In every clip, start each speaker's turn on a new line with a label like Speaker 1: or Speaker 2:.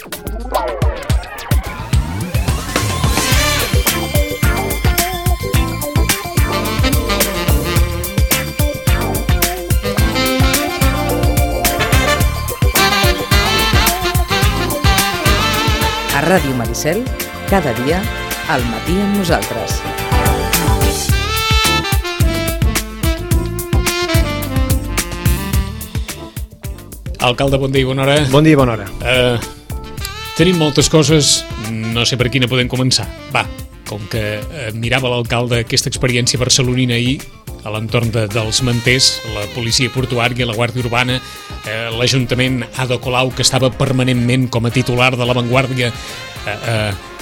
Speaker 1: A Ràdio Maricel, cada dia, al matí amb nosaltres.
Speaker 2: Alcalde, bon dia i bona hora.
Speaker 3: Bon dia i bona hora.
Speaker 2: Tenim moltes coses, no sé per quina podem començar. Va, com que mirava l'alcalde aquesta experiència barcelonina ahir, a l'entorn dels manters, la policia portuària, la Guàrdia Urbana, l'Ajuntament Ada Colau, que estava permanentment com a titular de l'avantguàrdia,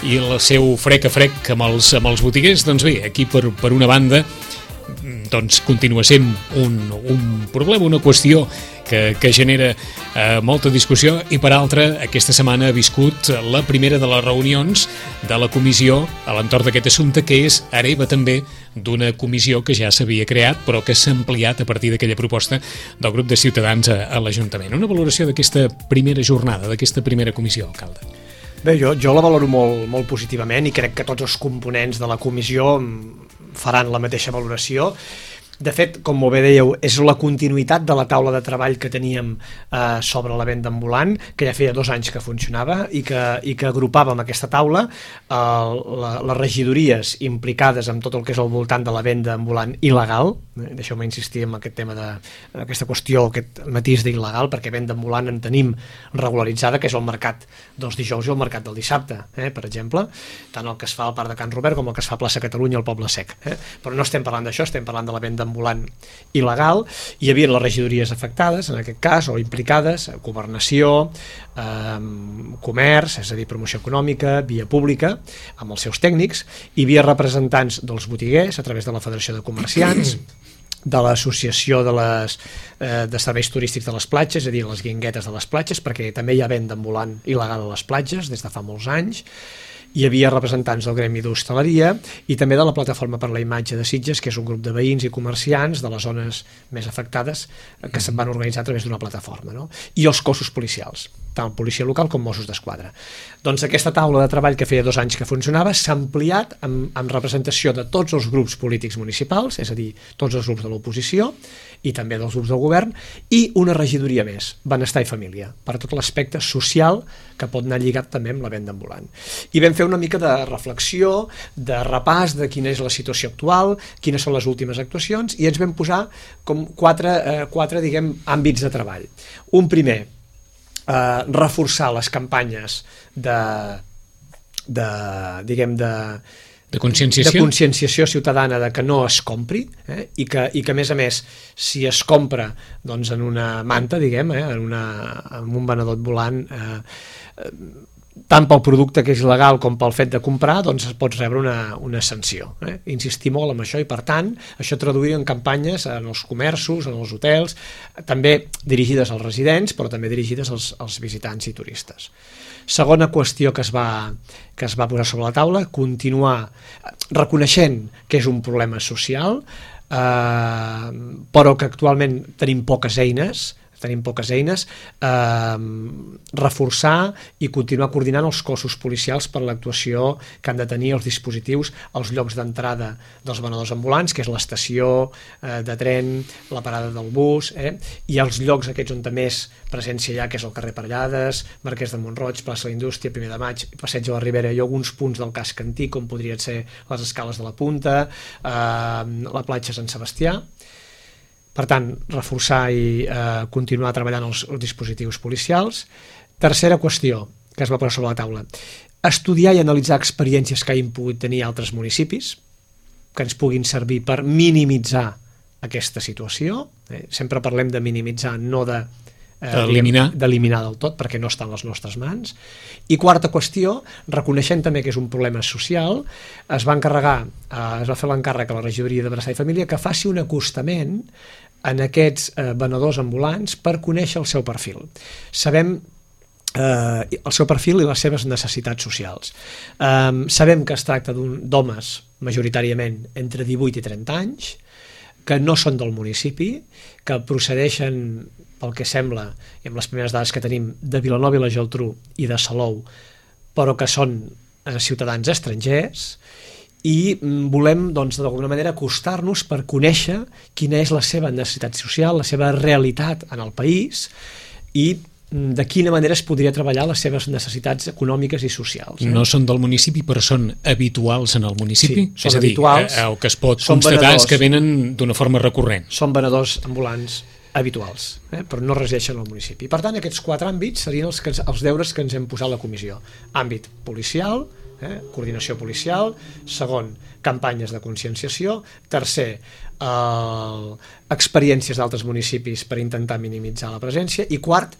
Speaker 2: i el seu frec a frec amb els botiguers, doncs bé, aquí per una banda doncs continua sent un problema, una qüestió que genera molta discussió, i per altra, aquesta setmana ha viscut la primera de les reunions de la comissió a l'entorn d'aquest assumpte, que és hereva també d'una comissió que ja s'havia creat però que s'ha ampliat a partir d'aquella proposta del grup de Ciutadans a l'Ajuntament. Una valoració d'aquesta primera jornada, d'aquesta primera comissió, alcalde.
Speaker 3: Bé, jo la valoro molt positivament i crec que tots els components de la comissió faran la mateixa valoració. De fet, com molt bé dèieu, és la continuïtat de la taula de treball que teníem sobre la venda ambulant, que ja feia 2 anys que funcionava i que agrupàvem aquesta taula les regidories implicades en tot el que és al voltant de la venda ambulant il·legal. Deixeu-me insistir en aquest tema d'aquesta qüestió, aquest matís d'il·legal, perquè venda ambulant en tenim regularitzada, que és el mercat dels dijous i el mercat del dissabte, per exemple, tant el que es fa al Parc de Can Robert com el que es fa a Plaça Catalunya al Poble Sec. Però no estem parlant d'això, estem parlant de la venda ambulant il·legal. Hi havia les regidories afectades, en aquest cas, o implicades, governació, comerç, és a dir, promoció econòmica, via pública, amb els seus tècnics. Hi havia representants dels botiguers a través de la Federació de Comerciants, de l'associació de serveis turístics de les platges, és a dir, les guinguetes de les platges, perquè també hi ha venda ambulant il·legal a les platges des de fa molts anys. Hi havia representants del gremi d'hostaleria i també de la Plataforma per la Imatge de Sitges, que és un grup de veïns i comerciants de les zones més afectades que se'n van organitzar a través d'una plataforma, no? I els cossos policials, tant policia local com Mossos d'Esquadra. Doncs aquesta taula de treball que feia 2 anys que funcionava s'ha ampliat amb representació de tots els grups polítics municipals, és a dir, tots els grups de l'oposició i també dels grups del govern, i una regidoria més, benestar i família, per tot l'aspecte social que pot anar lligat també amb la venda ambulant. I vam fer una mica de reflexió, de repàs de quina és la situació actual, quines són les últimes actuacions, i ens vam posar com quatre diguem, àmbits de treball. Un primer, reforçar les campanyes de conscienciació ciutadana de que no es compri, i que a més si es compra doncs, en una manta, diguem, en un venedor ambulant, tant pel producte que és il·legal com pel fet de comprar, doncs pots rebre una sanció. Insistir molt en això, i per tant això traduir en campanyes en els comerços, en els hotels, també dirigides als residents però també dirigides als visitants i turistes. Segona qüestió que es va posar sobre la taula, continuar reconeixent que és un problema social, però que actualment tenim poques eines, reforçar i continuar coordinant els cossos policials per l'actuació que han de tenir els dispositius als llocs d'entrada dels venedors ambulants, que és l'estació de tren, la parada del bus, i els llocs aquests on més presència hi ha, que és el carrer Parellades, Marquès de Mont-roig, plaça de la Indústria, 1 de Maig, Passeig de la Ribera, i alguns punts del casc antic, com podrien ser les escales de la Punta, la platja Sant Sebastià. Per tant, reforçar i continuar treballant els dispositius policials. Tercera qüestió que es va posar sobre la taula, estudiar i analitzar experiències que hagin pogut tenir altres municipis que ens puguin servir per minimitzar aquesta situació. Sempre parlem de minimitzar, no d'eliminar del tot, perquè no està en les nostres mans. I quarta qüestió, reconeixent també que és un problema social, es va fer l'encàrrec a la regidoria de Benestar i Família que faci un acostament en aquests venedors ambulants per conèixer el seu perfil. Sabem el seu perfil i les seves necessitats socials. Sabem que es tracta d'homes majoritàriament entre 18 i 30 anys, que no són del municipi, que procedeixen pel que sembla, i amb les primeres dades que tenim, de Vilanova i la Geltrú i de Salou, però que són ciutadans estrangers, i volem, doncs, d'alguna manera acostar-nos per conèixer quina és la seva necessitat social, la seva realitat en el país i de quina manera es podria treballar les seves necessitats econòmiques i socials.
Speaker 2: No són del municipi, però són habituals en el municipi?
Speaker 3: Sí, són
Speaker 2: és a dir,
Speaker 3: habituals.
Speaker 2: El que es pot constatar és que venen d'una forma recurrent.
Speaker 3: Són venedors ambulants habituals, però no resideixen al municipi. Per tant, aquests 4 àmbits serien els deures que ens hem posat a la comissió. Àmbit policial, coordinació policial, segon, campanyes de conscienciació, tercer, experiències d'altres municipis per intentar minimitzar la presència, i quart,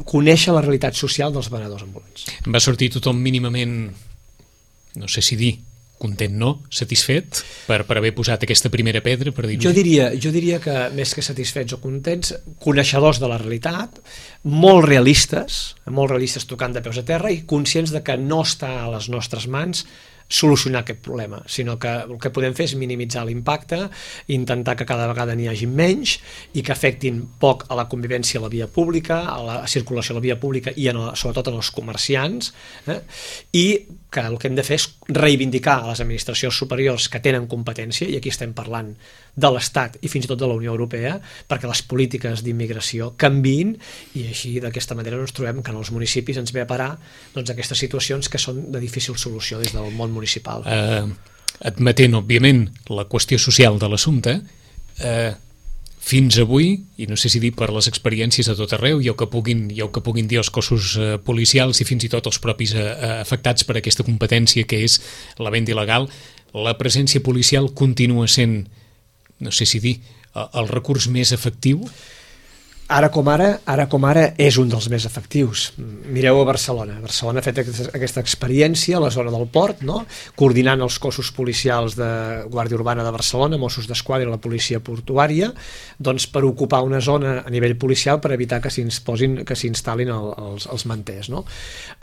Speaker 3: conèixer la realitat social dels venedors ambulants.
Speaker 2: Va sortir tothom mínimament, no sé si dir, content, no? Satisfet per haver posat aquesta primera pedra, per dir-ho?
Speaker 3: Jo diria que més que satisfets o contents, coneixedors de la realitat, molt realistes tocant de peus a terra i conscients de que no està a les nostres mans solucionar aquest problema, sinó que el que podem fer és minimitzar l'impacte, intentar que cada vegada n'hi hagi menys i que afectin poc a la convivència a la via pública, a la circulació a la via pública i sobretot en els comerciants, i que el que hem de fer és reivindicar a les administracions superiors que tenen competència, i aquí estem parlant de l'Estat i fins i tot de la Unió Europea, perquè les polítiques d'immigració canviïn, i així d'aquesta manera ens trobem que en els municipis ens ve a parar aquestes situacions que són de difícil solució des del món municipal.
Speaker 2: Admetent, òbviament, la qüestió social de l'assumpte, fins avui, i no sé si dir per les experiències a tot arreu, i el que puguin dir els cossos policials i fins i tot els propis afectats per aquesta competència que és la venda il·legal, la presència policial continua sent, no sé si dir, el recurs més efectiu?
Speaker 3: Ara com ara és un dels més efectius. Mireu a Barcelona. Barcelona ha fet aquesta experiència a la zona del port, no? Coordinant els cossos policials de Guàrdia Urbana de Barcelona, Mossos d'Esquadra i la policia portuària, doncs per ocupar una zona a nivell policial per evitar que s'instal·lin els manters, no?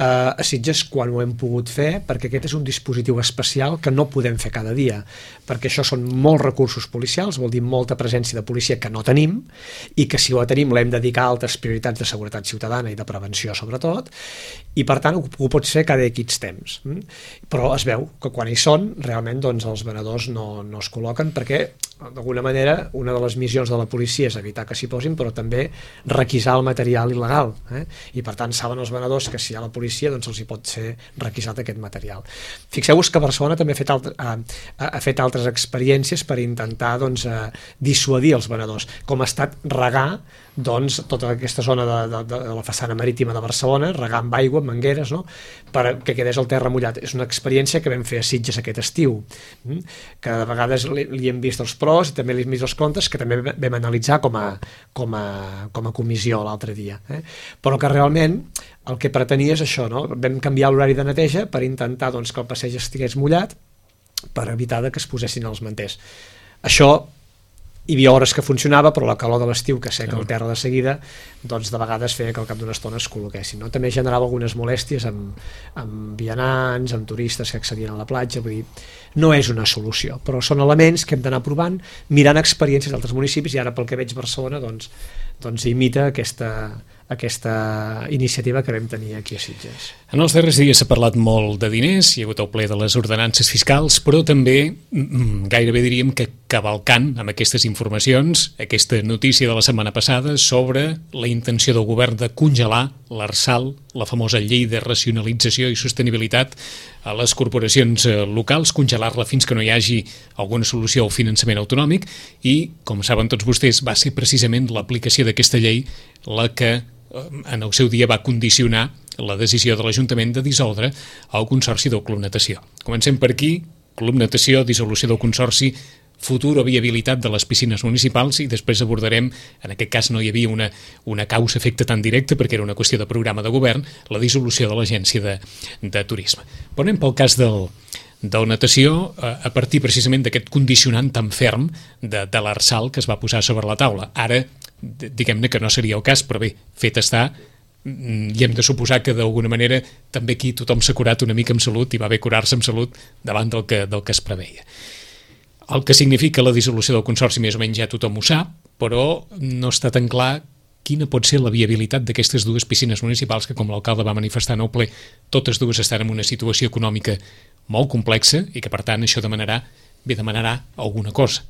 Speaker 3: A Sitges, quan ho hem pogut fer, perquè aquest és un dispositiu especial que no podem fer cada dia, perquè això són molts recursos policials, vol dir molta presència de policia que no tenim, i que si ho tenim l'hem de dedicar a altres prioritats de seguretat ciutadana i de prevenció sobretot, i per tant ho pots fer cada X temps. Però es veu que quan hi són realment els venedors no es col·loquen, perquè d'alguna manera una de les missions de la policia és evitar que s'hi posin, però també requisar el material il·legal, i per tant saben els venedors que si hi ha la policia els hi pot ser requisat aquest material. Fixeu-vos que Barcelona també ha fet altres experiències per intentar dissuadir els venedors, com ha estat regar tota aquesta zona de la façana marítima de Barcelona, regar amb aigua, amb mangueres, no? Perquè quedés el terra mullat. És una experiència que vam fer a Sitges aquest estiu, que de vegades li hem vist els pros i també li hem vist els contres, que també vam analitzar com a comissió l'altre dia, però que realment el que pretenia és això, no? Vam canviar l'horari de neteja per intentar que el passeig estigués mullat per evitar que es posessin els manters. Això hi havia hores que funcionava, però la calor de l'estiu que seca el terra de seguida, de vegades feia que al cap d'una estona es col·loquessin, no? També generava algunes molèsties amb vianants, amb turistes que accedien a la platja, vull dir, no és una solució, però són elements que hem d'anar provant, mirant experiències d'altres municipis, i ara pel que veig Barcelona imita aquesta iniciativa que vam tenir aquí a Sitges.
Speaker 2: En els darrers dies s'ha parlat molt de diners, hi ha hagut el ple de les ordenances fiscals, però també gairebé diríem que cavalcant amb aquestes informacions, aquesta notícia de la setmana passada sobre la intenció del govern de congelar l'ARSAL, la famosa llei de racionalització i sostenibilitat a les corporacions locals, congelar-la fins que no hi hagi alguna solució al finançament autonòmic, i, com saben tots vostès, va ser precisament l'aplicació d'aquesta llei la que en el seu dia va condicionar la decisió de l'Ajuntament de dissoldre el Consorci del Club Natació. Comencem per aquí: Club Natació, dissolució del Consorci, futur o viabilitat de les piscines municipals, i després abordarem, en aquest cas no hi havia una causa-efecte tan directa perquè era una qüestió de programa de govern, la dissolució de l'Agència de Turisme. Però anem pel cas del natació, a partir precisament d'aquest condicionant tan ferm de l'ARSAL que es va posar sobre la taula. Ara, diguem-ne que no seria el cas, però bé, fet està, i hem de suposar que d'alguna manera també aquí tothom s'ha curat una mica amb salut, i va bé curar-se amb salut davant del que es preveia. El que significa la dissolució del Consorci més o menys ja tothom ho sap, però no està tan clar quina pot ser la viabilitat d'aquestes dues piscines municipals que, com l'alcalde va manifestar en el ple, totes dues estan en una situació econòmica molt complexa i que, per tant, això demanarà alguna cosa.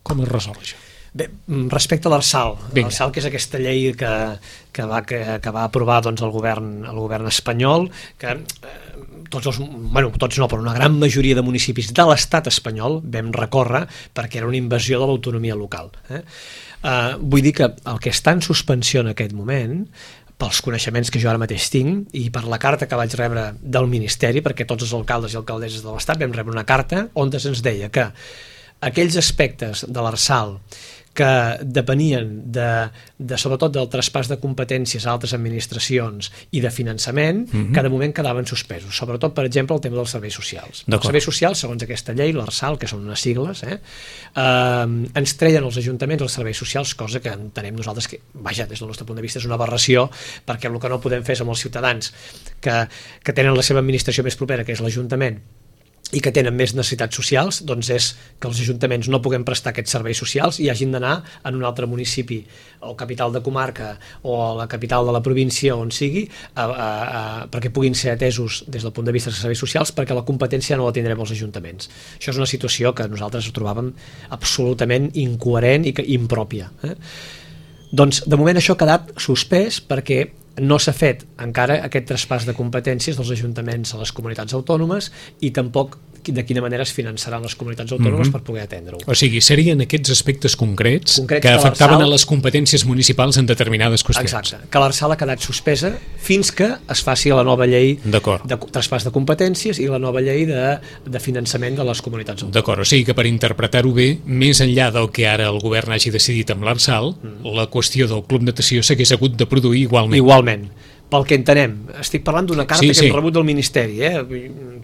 Speaker 2: Com es resol això?
Speaker 3: Bé, respecte a l'Arsal, que és aquesta llei que va aprovar doncs, el govern espanyol, que tots no, però una gran majoria de municipis de l'estat espanyol vam recórrer perquè era una invasió de l'autonomia local. Vull dir que el que està en suspensió en aquest moment, pels coneixements que jo ara mateix tinc i per la carta que vaig rebre del Ministeri, perquè tots els alcaldes i alcaldesses de l'Estat vam rebre una carta on ens deia que aquells aspectes de l'Arsal que depenien sobretot del traspàs de competències a altres administracions i de finançament, que de moment quedaven suspesos. Sobretot, per exemple, el tema dels serveis socials. Els serveis socials, segons aquesta llei, l'Arsal, que són unes sigles, ens treien els ajuntaments els serveis socials, cosa que entenem nosaltres que, vaja, des del nostre punt de vista és una aberració, perquè el que no podem fer és amb els ciutadans que tenen la seva administració més propera, que és l'Ajuntament, i que tenen més necessitats socials, doncs és que els ajuntaments no puguem prestar aquests serveis socials i hagin d'anar en un altre municipi o capital de comarca o a la capital de la província on sigui perquè puguin ser atesos des del punt de vista dels serveis socials, perquè la competència no la tindrem els ajuntaments. Això és una situació que nosaltres trobàvem absolutament incoherent i impròpia. Doncs de moment això ha quedat suspès perquè no s'ha fet encara aquest traspàs de competències dels ajuntaments a les comunitats autònomes i tampoc de quina manera es finançaran les comunitats autònomes per poder atendre-ho.
Speaker 2: O sigui, serien aquests aspectes concrets que afectaven a les competències municipals en determinades qüestions.
Speaker 3: Exacte, que l'Arsal ha quedat suspesa fins que es faci la nova llei de traspàs de competències i la nova llei de finançament de les comunitats autònomes.
Speaker 2: D'acord, o sigui que per interpretar-ho bé, més enllà del que ara el govern hagi decidit amb l'Arsal, la qüestió del Club Natació s'hagués hagut de produir igualment.
Speaker 3: Igualment. Pel que entenem, estic parlant d'una carta que hem rebut del Ministeri,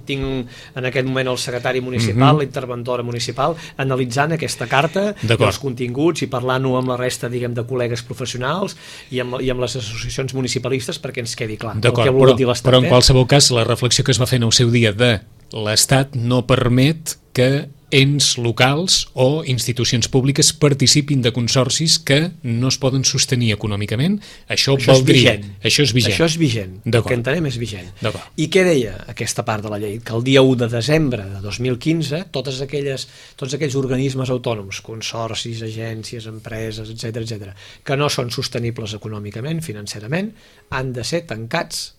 Speaker 3: tinc en aquest moment el secretari municipal, l'interventora municipal, analitzant aquesta carta i els continguts i parlant-ho amb la resta, diguem, de col·legues professionals i amb les associacions municipalistes perquè ens quedi clar.
Speaker 2: D'acord, però en qualsevol cas la reflexió que es va fer en el seu dia de l'Estat no permet que ens locals o institucions públiques participin de consorcis que no es poden sostenir econòmicament. Això és vigent. Això és vigent. El que entenem és vigent.
Speaker 3: I què deia aquesta part de la llei? Que el dia 1 de desembre de 2015 tots aquells organismes autònoms, consorcis, agències, empreses, etc., que no són sostenibles econòmicament, financerament, han de ser tancats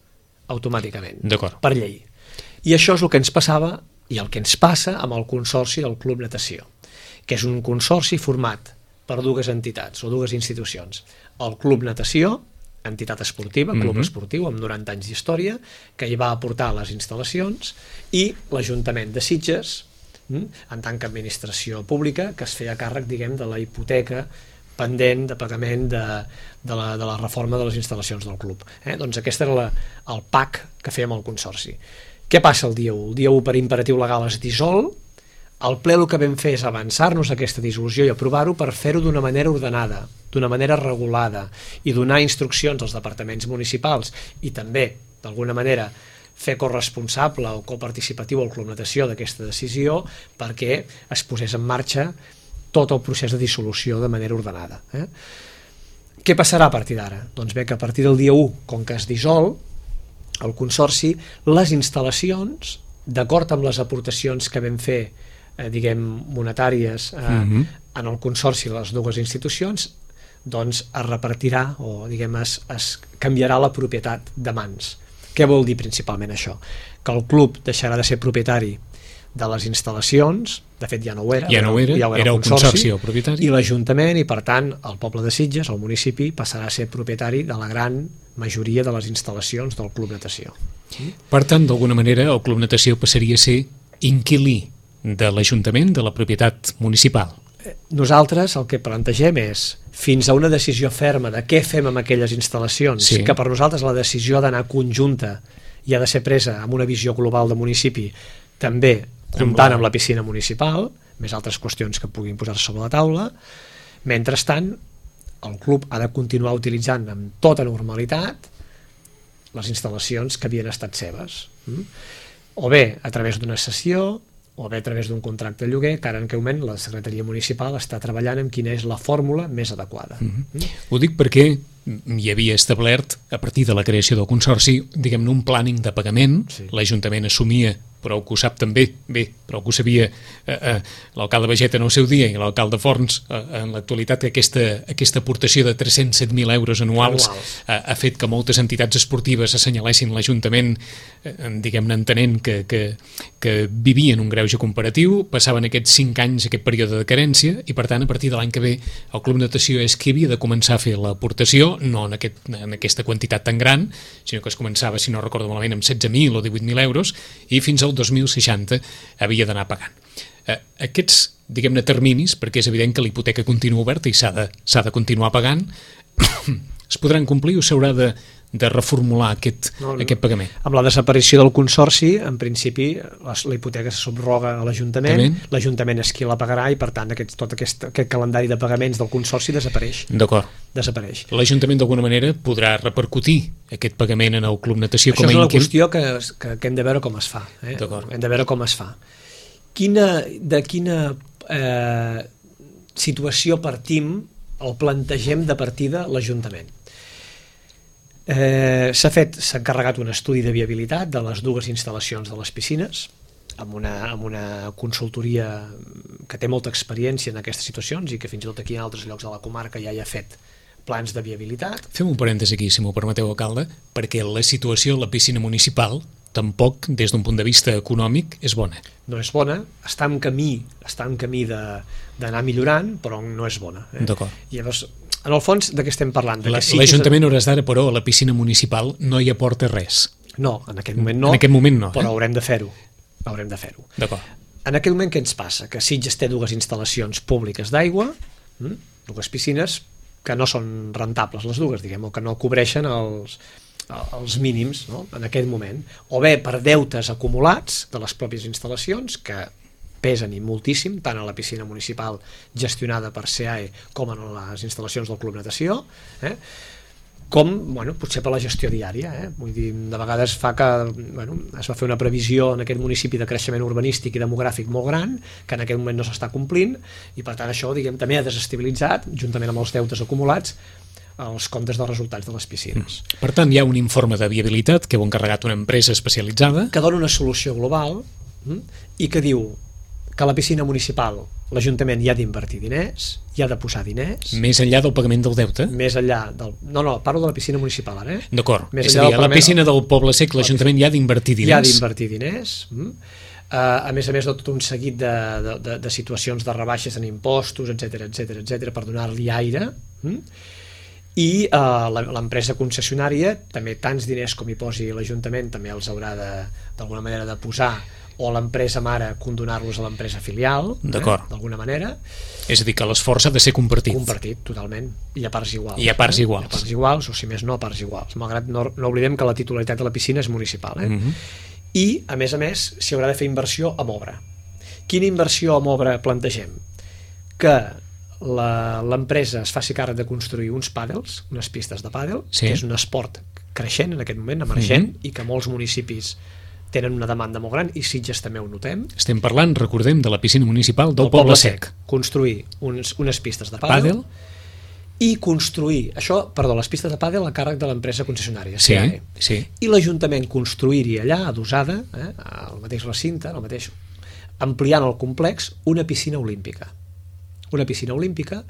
Speaker 3: automàticament, per llei. I això és el que ens passava i el que ens passa amb el consorci del Club Natació, que és un consorci format per dues entitats o dues institucions. El Club Natació, entitat esportiva, club esportiu amb 90 anys d'història, que hi va aportar les instal·lacions, i l'Ajuntament de Sitges, en tant que administració pública, que es feia càrrec, diguem, de la hipoteca pendent de pagament de la reforma de les instal·lacions del club. Doncs aquest era el PAC que fèiem al consorci. Què passa el dia 1? El dia 1 per imperatiu legal es dissol, al ple el que vam fer és avançar-nos aquesta dissolució i aprovar-ho per fer-ho d'una manera ordenada, d'una manera regulada i donar instruccions als departaments municipals i també, d'alguna manera, fer corresponsable o coparticipatiu al Club Natació d'aquesta decisió perquè es posés en marxa tot el procés de dissolució de manera ordenada. Què passarà a partir d'ara? Doncs bé, que a partir del dia 1, com que es dissol el consorci, les instal·lacions, d'acord amb les aportacions que vam fer, diguem, monetàries en el consorci de les dues institucions, doncs es repartirà o, diguem, es canviarà la propietat de mans. Què vol dir principalment això? Que el club deixarà de ser propietari de les instal·lacions, de fet ja no ho era,
Speaker 2: era el consorci el propietari,
Speaker 3: i l'Ajuntament, i per tant el poble de Sitges, el municipi, passarà a ser propietari de la gran majoria de les instal·lacions del Club Natació.
Speaker 2: Per tant, d'alguna manera, el Club Natació passaria a ser inquilí de l'Ajuntament, de la propietat municipal.
Speaker 3: Nosaltres el que plantegem és, fins a una decisió ferma de què fem amb aquelles instal·lacions, que per nosaltres la decisió ha d'anar conjunta i ha de ser presa amb una visió global de municipi, també comptant amb la piscina municipal, més altres qüestions que puguin posar-se sobre la taula. Mentrestant, el club ha de continuar utilitzant amb tota normalitat les instal·lacions que havien estat seves. O bé a través d'una cessió, o bé a través d'un contracte de lloguer, que ara en aquest moment la Secretaria Municipal està treballant en quina és la fórmula més adequada.
Speaker 2: Ho dic perquè hi havia establert, a partir de la creació del Consorci, diguem-ne, un planning de pagament. L'Ajuntament assumia, però que ho sap també, però que ho sabia l'alcalde Bageta en el seu dia i l'alcalde Forns en l'actualitat, que aquesta aportació de 307.000 euros anuals ha fet que moltes entitats esportives assenyalessin l'Ajuntament, diguem-ne, entenent que vivien un greuge comparatiu, passaven aquests 5 anys, aquest període de carència, i per tant, a partir de l'any que ve, el Club Natació és qui havia de començar a fer l'aportació, no en aquesta quantitat tan gran, sinó que es començava, si no recordo malament, amb 16.000 o 18.000 euros, i fins al 2060 havia d'anar pagant. Aquests, diguem-ne, terminis, perquè és evident que la hipoteca continua oberta i s'ha de continuar pagant, es podran complir o s'haurà de reformular aquest pagament?
Speaker 3: Amb la desaparició del Consorci, en principi, la hipoteca se subroga a l'Ajuntament, l'Ajuntament és qui la pagarà i, per tant, tot aquest calendari de pagaments del Consorci desapareix.
Speaker 2: D'acord.
Speaker 3: Desapareix.
Speaker 2: L'Ajuntament, d'alguna manera, podrà repercutir aquest pagament en el Club Natació com a
Speaker 3: inquil?
Speaker 2: Això
Speaker 3: és una qüestió que hem de veure com es fa. Hem de veure com es fa. De quina situació partim o plantegem de partida l'Ajuntament? S'ha encarregat un estudi de viabilitat de les dues instal·lacions de les piscines amb una consultoria que té molta experiència en aquestes situacions i que fins i tot aquí en altres llocs de la comarca ja hi ha fet plans de viabilitat.
Speaker 2: Fem un parèntesi aquí, si m'ho permeteu, alcalde, perquè la situació a la piscina municipal tampoc, des d'un punt de vista econòmic, és bona.
Speaker 3: No és bona, està en camí d'anar millorant, però no és bona.
Speaker 2: D'acord.
Speaker 3: Llavors, en el fons, de què estem parlant?
Speaker 2: L'Ajuntament a hores d'ara, però, a la piscina municipal no hi aporta res.
Speaker 3: No, en aquest moment no.
Speaker 2: En aquest moment no.
Speaker 3: Però haurem de fer-ho. Haurem de fer-ho.
Speaker 2: D'acord.
Speaker 3: En aquest moment què ens passa? Que Sitges té dues instal·lacions públiques d'aigua, dues piscines que no són rentables les dues, diguem, o que no cobreixen els mínims, no? En aquest moment. O bé per deutes acumulats de les pròpies instal·lacions, que pesen i moltíssim, tant a la piscina municipal gestionada per SEAE com en les instal·lacions del Club Natació, com, potser per la gestió diària. Vull dir, de vegades fa que es va fer una previsió en aquest municipi de creixement urbanístic i demogràfic molt gran, que en aquest moment no s'està complint, i per tant això, diguem, també ha desestabilitzat, juntament amb els deutes acumulats, els comptes dels resultats de les piscines.
Speaker 2: Per tant, hi ha un informe de viabilitat que heu encarregat una empresa especialitzada
Speaker 3: que dona una solució global i que diu que a la piscina municipal l'Ajuntament hi ha d'invertir diners, hi ha de posar diners.
Speaker 2: Més enllà del pagament del deute?
Speaker 3: Més enllà del... No, parlo de la piscina municipal ara.
Speaker 2: D'acord. És a dir, a la piscina del Poble Sec l'Ajuntament hi ha d'invertir diners.
Speaker 3: Hi ha d'invertir diners. A més de tot un seguit de situacions de rebaixes en impostos, etc per donar-li aire. I l'empresa concessionària, també tants diners com hi posi l'Ajuntament, també els haurà d'alguna manera de posar, o l'empresa mare condonar-los a l'empresa filial, d'alguna manera.
Speaker 2: És a dir, que l'esforç ha de ser compartit.
Speaker 3: Compartit, totalment, i a parts iguals.
Speaker 2: I a parts iguals.
Speaker 3: A parts iguals, o si més no, a parts iguals. Malgrat no oblidem que la titularitat de la piscina és municipal. I, a més, s'hi haurà de fer inversió amb obra. Quina inversió amb obra plantegem? Que l'empresa es faci càrrec de construir uns pàdels, unes pistes de pàdel, que és un esport creixent en aquest moment, emergent, i que molts municipis tenen una demanda molt gran, i Sitges també ho notem.
Speaker 2: Estem parlant, recordem, de la piscina municipal del Poble Sec.
Speaker 3: Construir unes pistes de pàdel i construir, les pistes de pàdel a càrrec de l'empresa concessionària, SEAE.
Speaker 2: Sí.
Speaker 3: I l'Ajuntament construir-hi allà, adossada, al mateix recinte, ampliant el complex, una piscina olímpica. Una piscina olímpica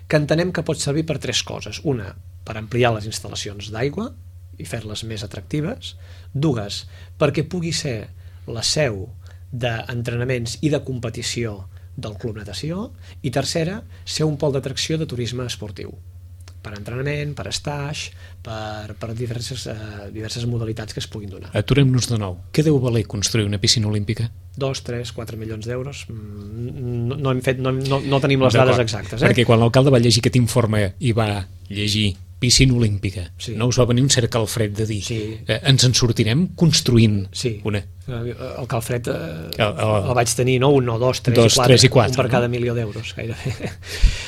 Speaker 3: que entenem que pot servir per 3 coses. Una, per ampliar les instal·lacions d'aigua i fer-les més atractives. 2, perquè pugui ser la seu d'entrenaments i de competició del Club Natació. I 3, ser un pol d'atracció de turisme esportiu. Per entrenament, per stage, per diverses modalitats que es puguin donar.
Speaker 2: Aturem-nos de nou. Què deu valer construir una piscina olímpica?
Speaker 3: 2, 3, 4 milions d'euros. No tenim les dades exactes.
Speaker 2: Perquè quan l'alcalde va llegir aquest informe i va llegir piscina olímpica, no us va venir un cert calfred de dir ens en sortirem construint una?
Speaker 3: El calfred el vaig tenir, no? 1, 2, 3 i 4, un per cada milió d'euros gairebé.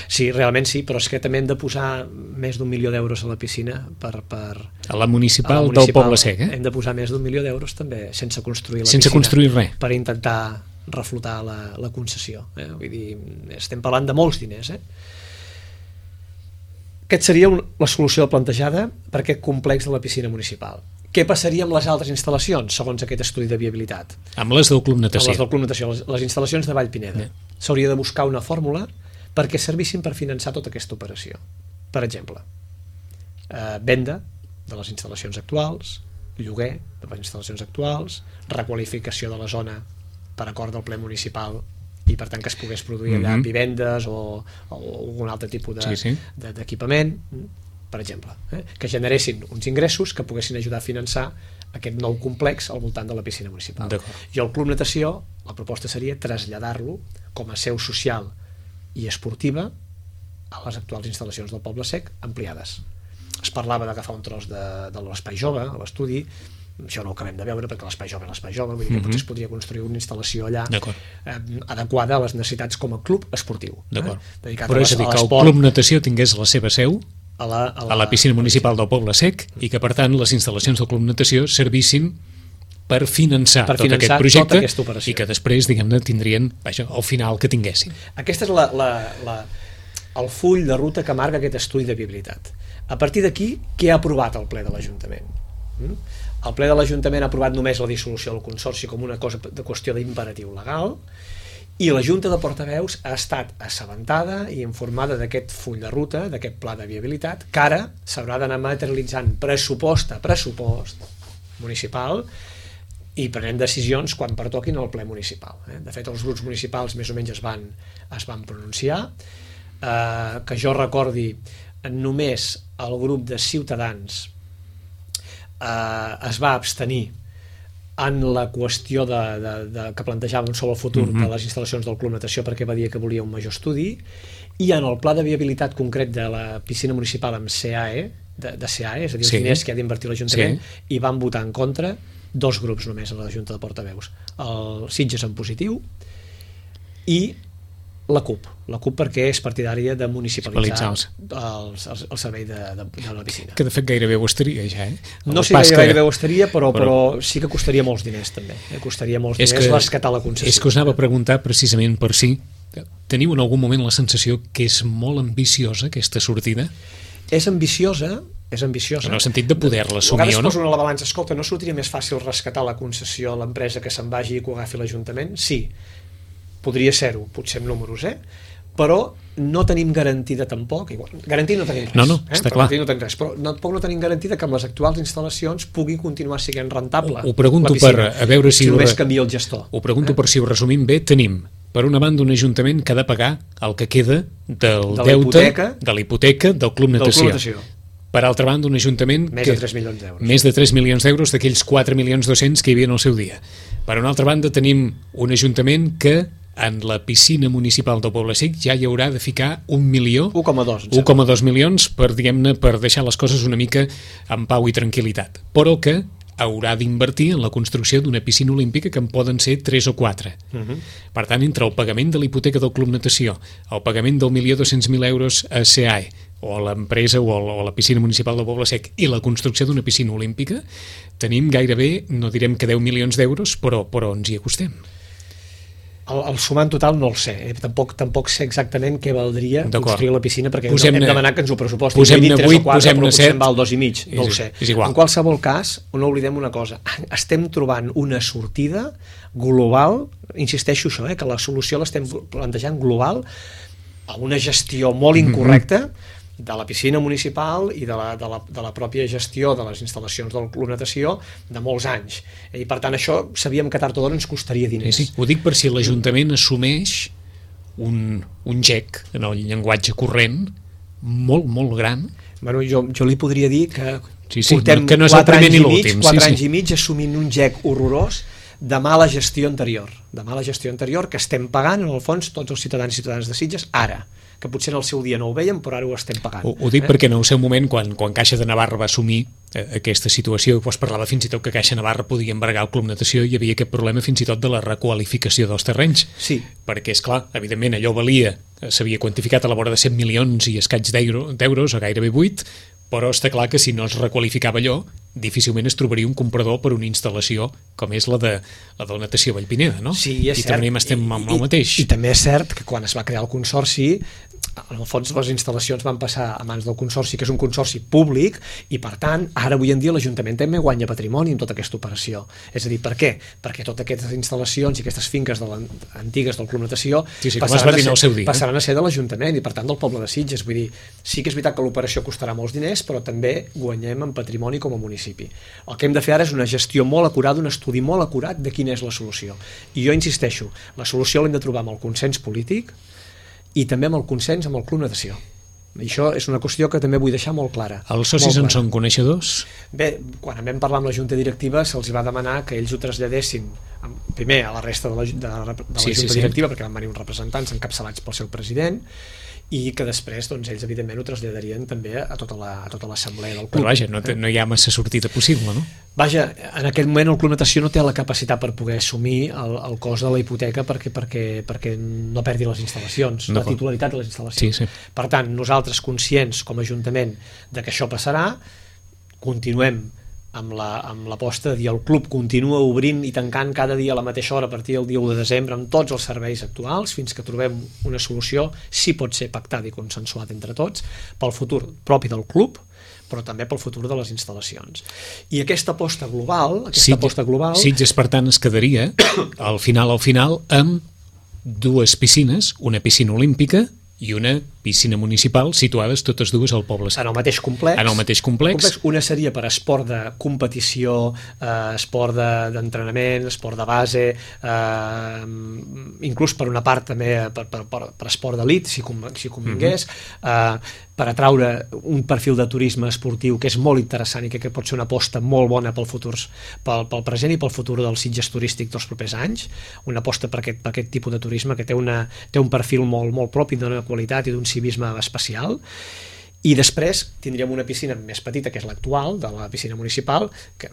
Speaker 3: Sí, realment sí, però és que també hem de posar més d'1 milió d'euros a la piscina
Speaker 2: a la municipal del Poble Sec.
Speaker 3: Hem de posar més d'1 milió d'euros també, sense construir la
Speaker 2: piscina, sense construir res,
Speaker 3: per intentar reflotar la concessió. Vull dir, estem parlant de molts diners. Aquest seria la solució plantejada per aquest complex de la piscina municipal. Què passaria amb les altres instal·lacions, segons aquest estudi de viabilitat?
Speaker 2: Amb les del Club Natació.
Speaker 3: Amb les del Club Natació, les instal·lacions de Vallpineda. S'hauria de buscar una fórmula perquè servissin per finançar tota aquesta operació. Per exemple, venda de les instal·lacions actuals, lloguer de les instal·lacions actuals, requalificació de la zona per acord del ple municipal i per tant que es pogués produir allà vivendes o algun altre tipus d'equipament, per exemple, que generessin uns ingressos que poguessin ajudar a finançar aquest nou complex al voltant de la piscina municipal. I el Club Natació, la proposta seria traslladar-lo com a seu social i esportiva a les actuals instal·lacions del Poble Sec ampliades. Es parlava d'agafar un tros de l'Espai Jove a l'estudi, això no ho acabem de veure perquè l'Espai Jove és l'Espai Jove, vull dir que potser es podria construir una instal·lació allà adequada a les necessitats com a club esportiu.
Speaker 2: Però és a dir, que el Club Natació tingués la seva seu a la piscina municipal del Poble Sec i que per tant les instal·lacions del Club Natació servissin per finançar tot aquest projecte i que després, diguem-ne, tindrien el final que tinguessin.
Speaker 3: Aquest és el full de ruta que marca aquest estudi de viabilitat. A partir d'aquí, què ha aprovat el ple de l'Ajuntament? El ple de l'Ajuntament ha aprovat només la dissolució del Consorci com una qüestió d'imperatiu legal i la Junta de Portaveus ha estat assabentada i informada d'aquest full de ruta, d'aquest pla de viabilitat, que ara s'haurà d'anar materialitzant pressupost a pressupost municipal i prenent decisions quan pertoquin al ple municipal. De fet, els grups municipals més o menys es van pronunciar. Que jo recordi, només el grup de Ciutadans es va abstenir en la qüestió que plantejàvem sobre el futur de les instal·lacions del Club Natació perquè va dir que volia un major estudi, i en el pla de viabilitat concret de la piscina municipal amb CAE, és a dir, els diners que ha d'invertir l'Ajuntament, hi van votar en contra 2 grups només a la Junta de Portaveus, el Sitges en positiu i la CUP perquè és partidària de municipalitzar el servei de la piscina.
Speaker 2: Que de fet gairebé ho estaria ja,
Speaker 3: No sé si gairebé ho estaria, però sí que costaria molts diners també. Costaria molts diners rescatar la concessió.
Speaker 2: És que us anava a preguntar precisament per si teniu en algun moment la sensació que és molt ambiciosa aquesta sortida?
Speaker 3: És ambiciosa. En
Speaker 2: el sentit de poder-la assumir o no?
Speaker 3: Poso una balança, escolta, no sortiria més fàcil rescatar la concessió a l'empresa que se'n vagi i que ho agafi l'Ajuntament? Sí, podria ser-ho, potser amb números, però no tenim garantida tampoc, garantir no tenim res,
Speaker 2: està clar.
Speaker 3: Però tampoc no tenim garantida que amb les actuals instal·lacions pugui continuar sent rentable.
Speaker 2: Ho pregunto a veure si
Speaker 3: només canvia el gestor.
Speaker 2: Ho pregunto per si ho resumim bé. Tenim, per una banda, un Ajuntament que ha de pagar el que queda del deute, de la hipoteca del Club Natació. Per altra banda, un Ajuntament
Speaker 3: més de 3 milions d'euros.
Speaker 2: Més de 3 milions d'euros d'aquells 4.200.000 que hi havia en el seu dia. Per una altra banda, tenim un Ajuntament que en la piscina municipal del Poble Sec ja hi haurà de ficar 1,2 milions per deixar les coses una mica en pau i tranquil·litat, però que haurà d'invertir en la construcció d'una piscina olímpica que en poden ser 3 o 4. Per tant, entre el pagament de la hipoteca del Club Natació, el pagament del 1.200.000 euros a CAE o a l'empresa o a la piscina municipal del Poble Sec i la construcció d'una piscina olímpica, tenim gairebé, no direm que 10 milions d'euros, però ens hi acostem.
Speaker 3: El sumant total no el sé, tampoc sé exactament què valdria construir la piscina perquè hem demanat que ens ho pressupostin.
Speaker 2: Posem-ne 8, posem-ne 7,
Speaker 3: potser val 2,5, no ho sé. En qualsevol cas, no oblidem una cosa, estem trobant una sortida global, insisteixo això, que la solució l'estem plantejant global a una gestió molt incorrecta de la piscina municipal i de la pròpia gestió de les instal·lacions del Club Natació de molts anys. I per tant això sabíem que tard o d'hora ens costaria diners.
Speaker 2: Sí, ho dic per si l'Ajuntament assumeix un gec en el llenguatge corrent molt, molt gran.
Speaker 3: Bueno, jo li podria dir que
Speaker 2: portem que no és 4
Speaker 3: anys i mig assumint un gec horrorós de mala gestió anterior, que estem pagant en el fons tots els ciutadans i ciutadanes de Sitges ara, que potser en el seu dia no ho veiem, però ara ho estem pagant.
Speaker 2: Ho dic perquè en el seu moment, quan Caixa de Navarra va assumir aquesta situació, es parlava fins i tot que Caixa Navarra podia embargar el Club Natació i hi havia aquest problema fins i tot de la requalificació dels terrenys.
Speaker 3: Sí.
Speaker 2: Perquè, esclar, evidentment allò valia, s'havia quantificat a la vora de 100 milions i escaig d'euros, o gairebé 8, però està clar que si no es requalificava allò, difícilment es trobaria un comprador per una instal·lació com és la de natació Vallpineda, no?
Speaker 3: Sí, és cert.
Speaker 2: I també estem amb el mateix.
Speaker 3: I també és cert que quan es va crear el Consorci, en el fons les instal·lacions van passar a mans del Consorci, que és un consorci públic, i per tant, ara avui en dia l'Ajuntament també guanya patrimoni en tota aquesta operació. És a dir, per què? Perquè totes aquestes instal·lacions i aquestes finques antigues del Club Natació passaran a ser de l'Ajuntament i per tant del poble de Sitges. Vull dir, sí que és veritat que l'operació costarà molts diners, però també guanyem en patrimoni com a municipi. El que hem de fer ara és una gestió molt acurada, un estudi molt acurat de quina és la solució. I jo insisteixo, la solució l'hem de trobar amb el consens polític i també amb el consens amb el Club Natació. I això és una qüestió que també vull deixar molt clara.
Speaker 2: Els socis en són coneixedors?
Speaker 3: Bé, quan vam parlar amb la Junta Directiva se'ls va demanar que ells ho traslladessin primer a la resta de la Junta Directiva, perquè van venir uns representants encapçalats pel seu president, i que després doncs, ells evidentment ho traslladarien també a tota l'assemblea del club.
Speaker 2: Però vaja, no hi ha massa sortida possible, no?
Speaker 3: Vaja, en aquest moment el Club Natació no té la capacitat per poder assumir el cost de la hipoteca perquè no perdi les instal·lacions, la titularitat de les instal·lacions.
Speaker 2: Sí.
Speaker 3: Per tant, nosaltres conscients com a Ajuntament de que això passarà, continuem amb l'aposta de dir el club continua obrint i tancant cada dia a la mateixa hora a partir del dia 1 de desembre amb tots els serveis actuals fins que trobem una solució, si pot ser pactada i consensuada entre tots, pel futur propi del club, però també pel futur de les instal·lacions. I aquesta aposta global...
Speaker 2: Sitges, per tant, es quedaria al final amb dues piscines, una piscina olímpica i una piscina municipal situades totes dues al poble sec.
Speaker 3: En el mateix complex.
Speaker 2: En el mateix complex.
Speaker 3: Una seria per esport de competició, esport d'entrenament, esport de base, inclús per una part també per esport d'elit, si convingués, per atraure un perfil de turisme esportiu que és molt interessant i que pot ser una aposta molt bona pel futur, pel present i pel futur del Sitges turístic dels propers anys, una aposta per aquest tipus de turisme que té un perfil molt propi d'una qualitat i d'un civisme especial. I després tindríem una piscina més petita, que és l'actual, de la piscina municipal, que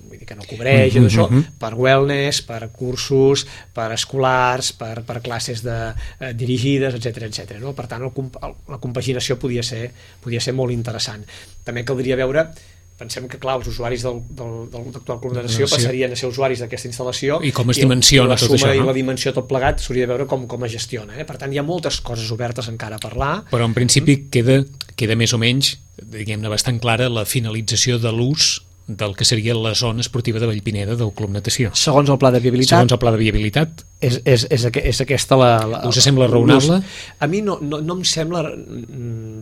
Speaker 3: vull dir que no cobreix això, per wellness, per cursos, per escolars, per classes dirigides, etc. No? Per tant, la compaginació podia ser molt interessant. També caldria veure, pensem que, clar, els usuaris del actual Club de Natació passarien a ser usuaris d'aquesta instal·lació
Speaker 2: i com es dimensiona tot això,
Speaker 3: i la dimensió tot plegat s'hauria de veure com es gestiona. Per tant, hi ha moltes coses obertes encara a parlar.
Speaker 2: Però en principi queda més o menys, diguem-ne, bastant clara la finalització de l'ús del que seria la zona esportiva de Vallpineda del Club Natació.
Speaker 3: Segons el pla de viabilitat. És aquesta la...
Speaker 2: Us sembla raonable?
Speaker 3: A mi no em sembla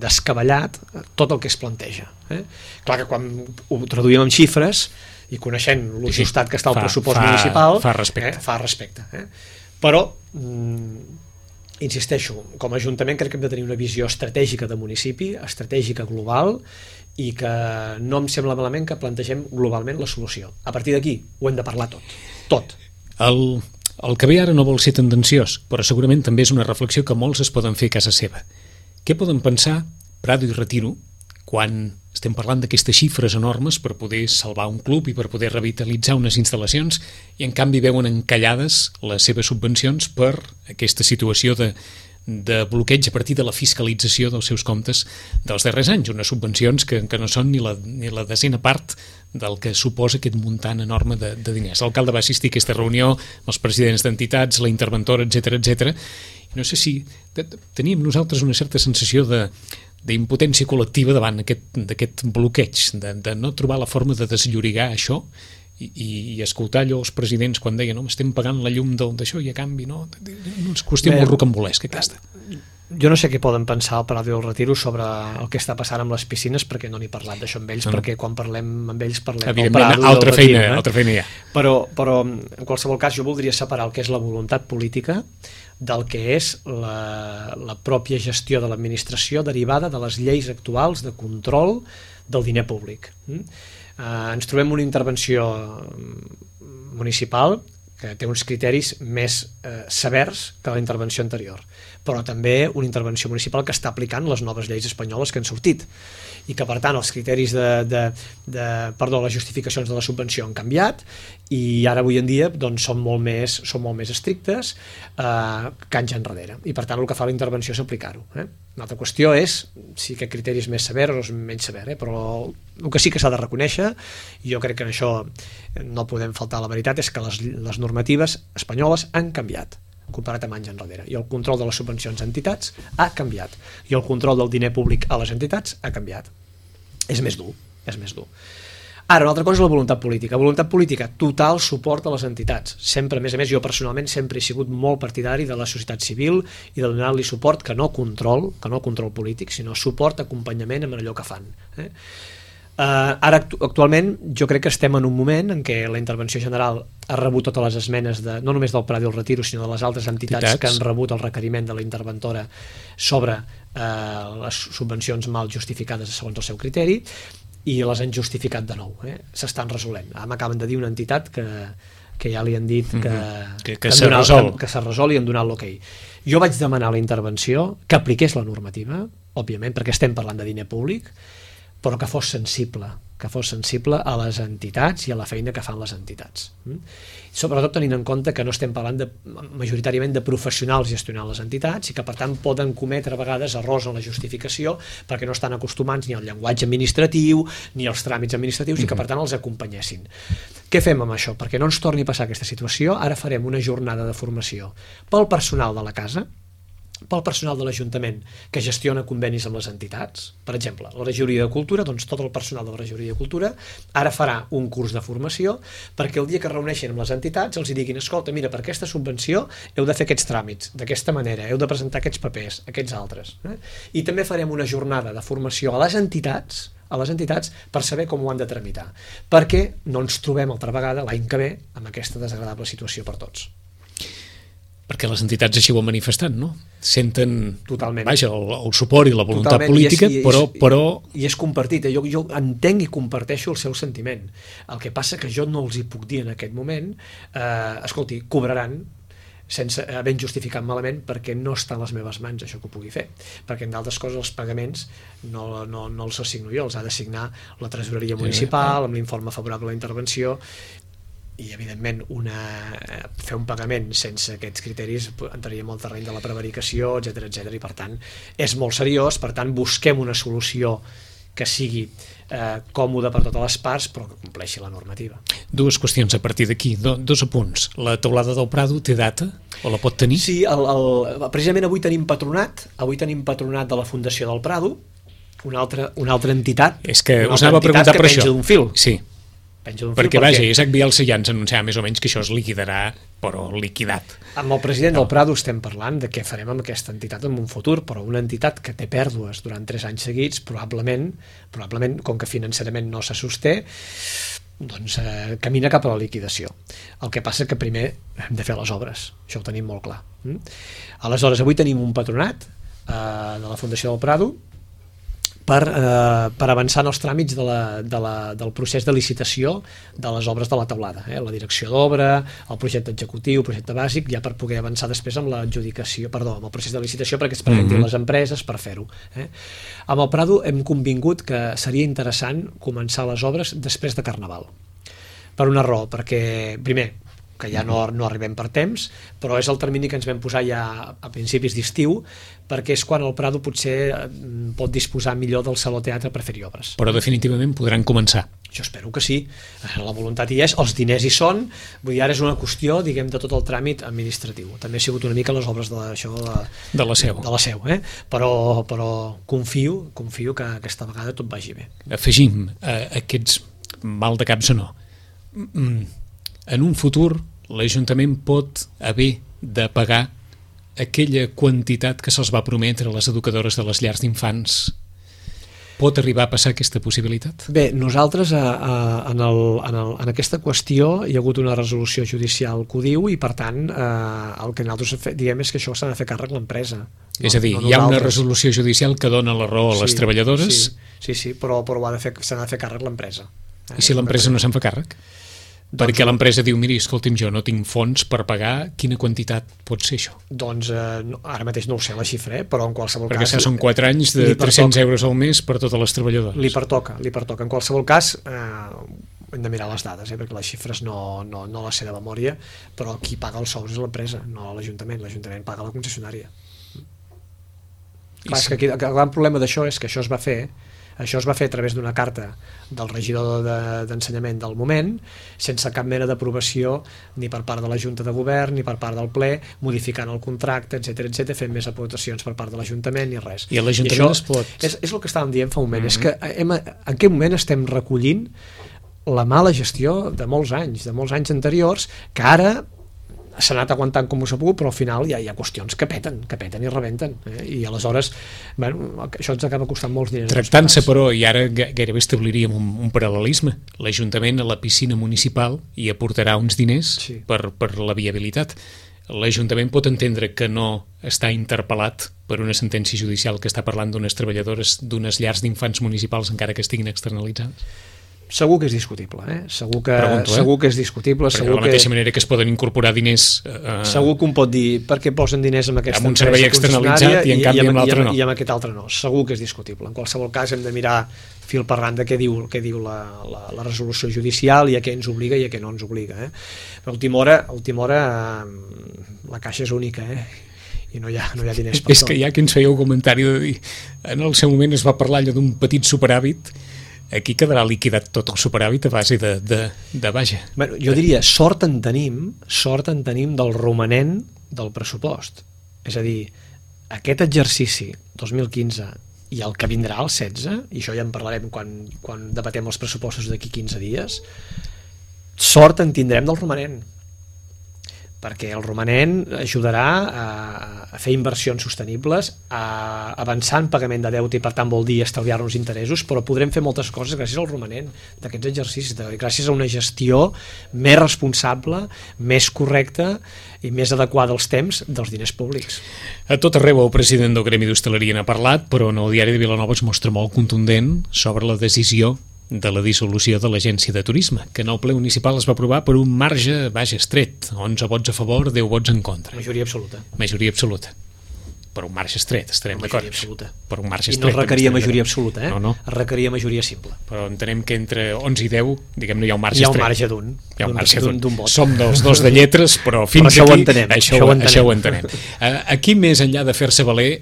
Speaker 3: descabellat tot el que es planteja. Clar que quan ho traduïm en xifres i coneixent l'ajustat que està al pressupost municipal...
Speaker 2: Fa respecte.
Speaker 3: Fa respecte. Però, insisteixo, com a Ajuntament crec que hem de tenir una visió estratègica de municipi, estratègica global, i que no em sembla malament que plantegem globalment la solució. A partir d'aquí ho hem de parlar tot.
Speaker 2: El que ve ara no vol ser tendenciós, però segurament també és una reflexió que molts es poden fer a casa seva. Què poden pensar Prado i Retiro quan estem parlant d'aquestes xifres enormes per poder salvar un club i per poder revitalitzar unes instal·lacions i en canvi veuen encallades les seves subvencions per aquesta situació de bloqueig a partir de la fiscalització dels seus comptes dels darrers anys, unes subvencions que no són ni la desena part del que suposa aquest muntant enorme de diners. L'alcalde va assistir a aquesta reunió amb els presidents d'entitats, la interventora, etc. No sé si teníem nosaltres una certa sensació d'impotència col·lectiva davant d'aquest bloqueig, de no trobar la forma de desllorigar això i escoltar allò els presidents quan deien estem pagant la llum d'això i a canvi no, una qüestió molt rocambolesca aquesta.
Speaker 3: Jo no sé què poden pensar el Prado i el Retiro sobre el que està passant amb les piscines, perquè no n'he parlat d'això amb ells, perquè quan parlem amb ells parlem del Prado i del Retiro.
Speaker 2: Altra feina hi ha.
Speaker 3: Però en qualsevol cas jo voldria separar el que és la voluntat política del que és la pròpia gestió de l'administració derivada de les lleis actuals de control del diner públic. Ens trobem una intervenció municipal que té uns criteris més severs que la intervenció anterior, però també una intervenció municipal que està aplicant les noves lleis espanyoles que han sortit i que per tant els criteris les justificacions de la subvenció han canviat i ara avui en dia doncs, són molt més estrictes que anys enrere i per tant el que fa la intervenció és aplicar-ho. Una altra qüestió és si aquest criteri és més sever o és menys sever, però el que sí que s'ha de reconèixer, i jo crec que en això no podem faltar la veritat, és que les normatives espanyoles han canviat comparat amb anys enrere, i el control de les subvencions a entitats ha canviat, i el control del diner públic a les entitats ha canviat. És més dur. Ara, una altra cosa és la voluntat política, total suport a les entitats, sempre, a més, jo personalment sempre he sigut molt partidari de la societat civil i de donar-li suport, que no control polític, sinó suport, acompanyament en allò que fan. Ara, actualment, jo crec que estem en un moment en què la intervenció general ha rebut totes les esmenes, no només del Prat i el Retiro, sinó de les altres entitats que han rebut el requeriment de la interventora sobre les subvencions mal justificades segons el seu criteri, i les han justificat de nou. S'estan resolent. Ara m'acaben de dir una entitat que ja li han dit que s'ha resolt i han donat l'ok. Jo vaig demanar la intervenció que apliqués la normativa, òbviament, perquè estem parlant de diner públic, però que fos sensible a les entitats i a la feina que fan les entitats. Sobretot tenint en compte que no estem parlant majoritàriament de professionals gestionant les entitats i que per tant poden cometre a vegades errors en la justificació perquè no estan acostumats ni al llenguatge administratiu ni als tràmits administratius i que per tant els acompanyessin. Què fem amb això? Perquè no ens torni a passar aquesta situació, ara farem una jornada de formació pel personal de la casa, pel personal de l'Ajuntament que gestiona convenis amb les entitats. Per exemple, la Regidoria de Cultura, doncs tot el personal de la Regidoria de Cultura ara farà un curs de formació perquè el dia que es reuneixin amb les entitats els diguin, escolta, mira, per aquesta subvenció heu de fer aquests tràmits, d'aquesta manera, heu de presentar aquests papers, aquests altres. I també farem una jornada de formació a les entitats per saber com ho han de tramitar, perquè no ens trobem altra vegada l'any que ve amb aquesta desagradable situació per tots.
Speaker 2: Perquè les entitats així ho han manifestat, no? Senten,
Speaker 3: totalment,
Speaker 2: vaja, el suport i la voluntat política, però...
Speaker 3: I és compartit, jo entenc i comparteixo el seu sentiment. El que passa que jo no els hi puc dir en aquest moment, escolti, cobraran sense havent justificat malament perquè no està a les meves mans això que ho pugui fer, perquè en d'altres coses els pagaments no els assigno jo, els ha d'assignar la tresoreria municipal amb l'informe favorable a la intervenció, i evidentment fer un pagament sense aquests criteris entraríem al terreny de la prevaricació, etc, i per tant és molt seriós, per tant busquem una solució que sigui còmoda per totes les parts però que compleixi la normativa.
Speaker 2: Dues qüestions a partir d'aquí, dos apunts. La teulada del Prado té data o la pot tenir?
Speaker 3: Sí, precisament avui tenim patronat de la Fundació del Prado, una altra entitat.
Speaker 2: És que us anava a preguntar per això.
Speaker 3: Que penja d'un fil.
Speaker 2: Sí. Perquè vaja, Isaac Bielsa ja ens anunciava més o menys que això es liquidarà, però liquidat.
Speaker 3: Amb el president del Prado estem parlant de què farem amb aquesta entitat en un futur, però una entitat que té pèrdues durant 3 anys seguits, probablement, com que financerament no se sosté, doncs camina cap a la liquidació. El que passa que primer hem de fer les obres, això ho tenim molt clar. Aleshores, avui tenim un patronat de la Fundació del Prado per avançar en els tràmits del procés de licitació de les obres de la teulada, la direcció d'obra, el projecte executiu, el projecte bàsic, ja per poder avançar després amb amb el procés de licitació perquè es presentin les empreses per fer-ho. Amb el Prado hem convingut que seria interessant començar les obres després de Carnaval, per una raó, perquè primer que ja no arribem per temps, però és el termini que ens vam posar ja a principis d'estiu, perquè és quan el Prado potser pot disposar millor del Saló Teatre per fer-hi obres.
Speaker 2: Però definitivament podran començar.
Speaker 3: Jo espero que sí, la voluntat hi és, els diners hi són, vull dir, ara és una qüestió, diguem, de tot el tràmit administratiu. També ha sigut una mica les obres de la Seu, però confio que aquesta vegada tot vagi bé.
Speaker 2: Afegim aquests mal de caps o no. En un futur l'Ajuntament pot haver de pagar aquella quantitat que se'ls va prometre a les educadores de les llars d'infants. Pot arribar a passar aquesta possibilitat?
Speaker 3: Bé, nosaltres en aquesta qüestió hi ha hagut una resolució judicial que ho diu i per tant el que nosaltres diem és que això s'ha de fer càrrec l'empresa.
Speaker 2: És a dir, hi ha una resolució judicial que dona la raó a les treballadores?
Speaker 3: Sí, però s'ha de fer càrrec l'empresa.
Speaker 2: I si l'empresa no se'n fa càrrec? Perquè l'empresa diu, miri, escolti'm, jo no tinc fons per pagar, quina quantitat pot ser això?
Speaker 3: Doncs ara mateix no ho sé la xifra, però en qualsevol
Speaker 2: perquè
Speaker 3: cas...
Speaker 2: Perquè són 4 anys de 300 euros al mes per totes les treballadores.
Speaker 3: Li pertoca. En qualsevol cas, hem de mirar les dades, perquè les xifres no les sé de memòria, però qui paga els sous és l'empresa, no l'Ajuntament. L'Ajuntament paga la concessionària. Clar, és que aquí, el gran problema d'això és que això es va fer a través d'una carta del regidor d'Ensenyament del moment, sense cap mena d'aprovació ni per part de la Junta de Govern ni per part del ple, modificant el contracte, etc, fent més aportacions per part de l'Ajuntament ni res.
Speaker 2: I l'Ajuntament es pot...
Speaker 3: És el que estàvem dient fa un moment, és que en aquest moment estem recollint la mala gestió de molts anys anteriors, que ara s'ha anat aguantant com s'ha pogut, però al final hi ha qüestions que peten i rebenten, i aleshores això ens acaba costant molts diners.
Speaker 2: Tractant-se, però, i ara gairebé establiríem un paral·lelisme, l'Ajuntament a la piscina municipal hi aportarà uns diners per la viabilitat. L'Ajuntament pot entendre que no està interpel·lat per una sentència judicial que està parlant d'unes treballadores d'unes llars d'infants municipals encara que estiguin externalitzades?
Speaker 3: Segur que és discutible, segur que és discutible.
Speaker 2: Perquè de la mateixa manera que es poden incorporar diners...
Speaker 3: Segur que un pot dir per què posen diners en aquesta
Speaker 2: empresa servei externalitzat i en canvi amb l'altre no.
Speaker 3: I amb aquest altre no. Segur que és discutible. En qualsevol cas hem de mirar fil per randa què diu la resolució judicial i a què ens obliga i a què no ens obliga. Però a última hora la caixa és única, i no hi ha diners per tot.
Speaker 2: És que hi ha qui ens feia un comentari de dir, en el seu moment es va parlar allò d'un petit superàvit. Aquí quedarà liquidat tot el superàvit a base de vaja.
Speaker 3: Bueno, jo diria, sort en tenim del romanent del pressupost. És a dir, aquest exercici 2015 i el que vindrà al 16, i això ja en parlarem quan debatem els pressupostos d'aquí 15 dies, sort en tindrem del romanent, perquè el romanent ajudarà a fer inversions sostenibles, a avançar en pagament de deute i per tant vol dir estalviar-nos interessos, però podrem fer moltes coses gràcies al romanent d'aquests exercicis, gràcies a una gestió més responsable, més correcta i més adequada als temps dels diners públics.
Speaker 2: A tot arreu el president del Gremi d'Hostaleria n'ha parlat, però en el diari de Vilanova es mostra molt contundent sobre la decisió de la dissolució de l'Agència de Turisme, que en el ple municipal es va aprovar per un marge estret, 11 vots a favor, 10 vots en contra.
Speaker 3: Majoria absoluta.
Speaker 2: Majoria absoluta. Per un marge estret, estarem d'acord. Per un marge estret.
Speaker 3: I no requeria majoria absoluta,
Speaker 2: No.
Speaker 3: Requeria majoria simple.
Speaker 2: Però entenem que entre 11 i 10, diguem-ne, hi ha un marge estret.
Speaker 3: Hi ha un marge d'un vot.
Speaker 2: Som dels dos de lletres, però fins
Speaker 3: però
Speaker 2: aquí això ho entenem.
Speaker 3: Entenem.
Speaker 2: Aquí, més enllà de fer-se valer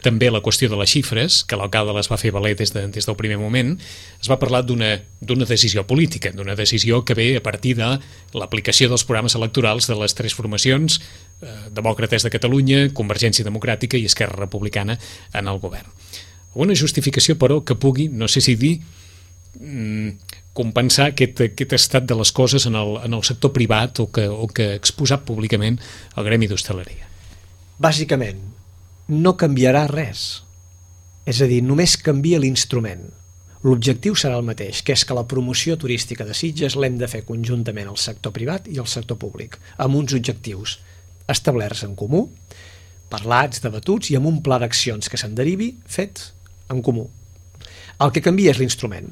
Speaker 2: també la qüestió de les xifres, que l'alcalde les va fer valer des del primer moment, es va parlar d'una decisió política, d'una decisió que ve a partir de l'aplicació dels programes electorals de les tres formacions, Demòcrates de Catalunya, Convergència Democràtica i Esquerra Republicana en el govern. Una justificació, però, que pugui, no sé si dir, compensar aquest estat de les coses en el sector privat o que ha exposat públicament el Gremi d'Hostaleria.
Speaker 3: Bàsicament, no canviarà res. És a dir, només canvia l'instrument. L'objectiu serà el mateix, que és que la promoció turística de Sitges l'hem de fer conjuntament al sector privat i al sector públic, amb uns objectius establerts en comú, parlats, debatuts i amb un pla d'accions que se'n derivi fet en comú. El que canvia és l'instrument.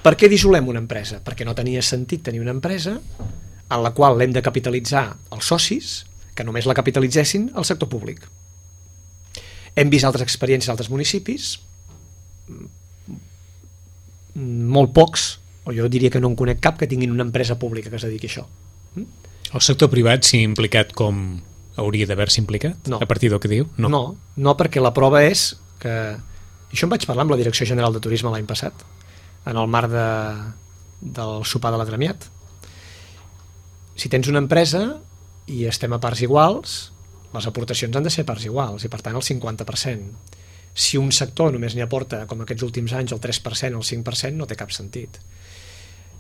Speaker 3: Per què dissolem una empresa? Perquè no tenia sentit tenir una empresa en la qual l'hem de capitalitzar els socis, que només la capitalitzessin al sector públic. Hem vist altres experiències a altres municipis, molt pocs, o jo diria que no en conec cap que tinguin una empresa pública que es dediqui a això.
Speaker 2: El sector privat s'hi ha implicat com hauria d'haver-se implicat?
Speaker 3: No.
Speaker 2: A partir del que diu?
Speaker 3: No, perquè la prova és que... Això em vaig parlar amb la Direcció General de Turisme l'any passat, en el marc del sopar de l'Agremiat. Si tens una empresa i estem a parts iguals, les aportacions han de ser a parts iguals, i per tant el 50%. Si un sector només n'hi aporta, com aquests últims anys, el 3% o el 5%, no té cap sentit.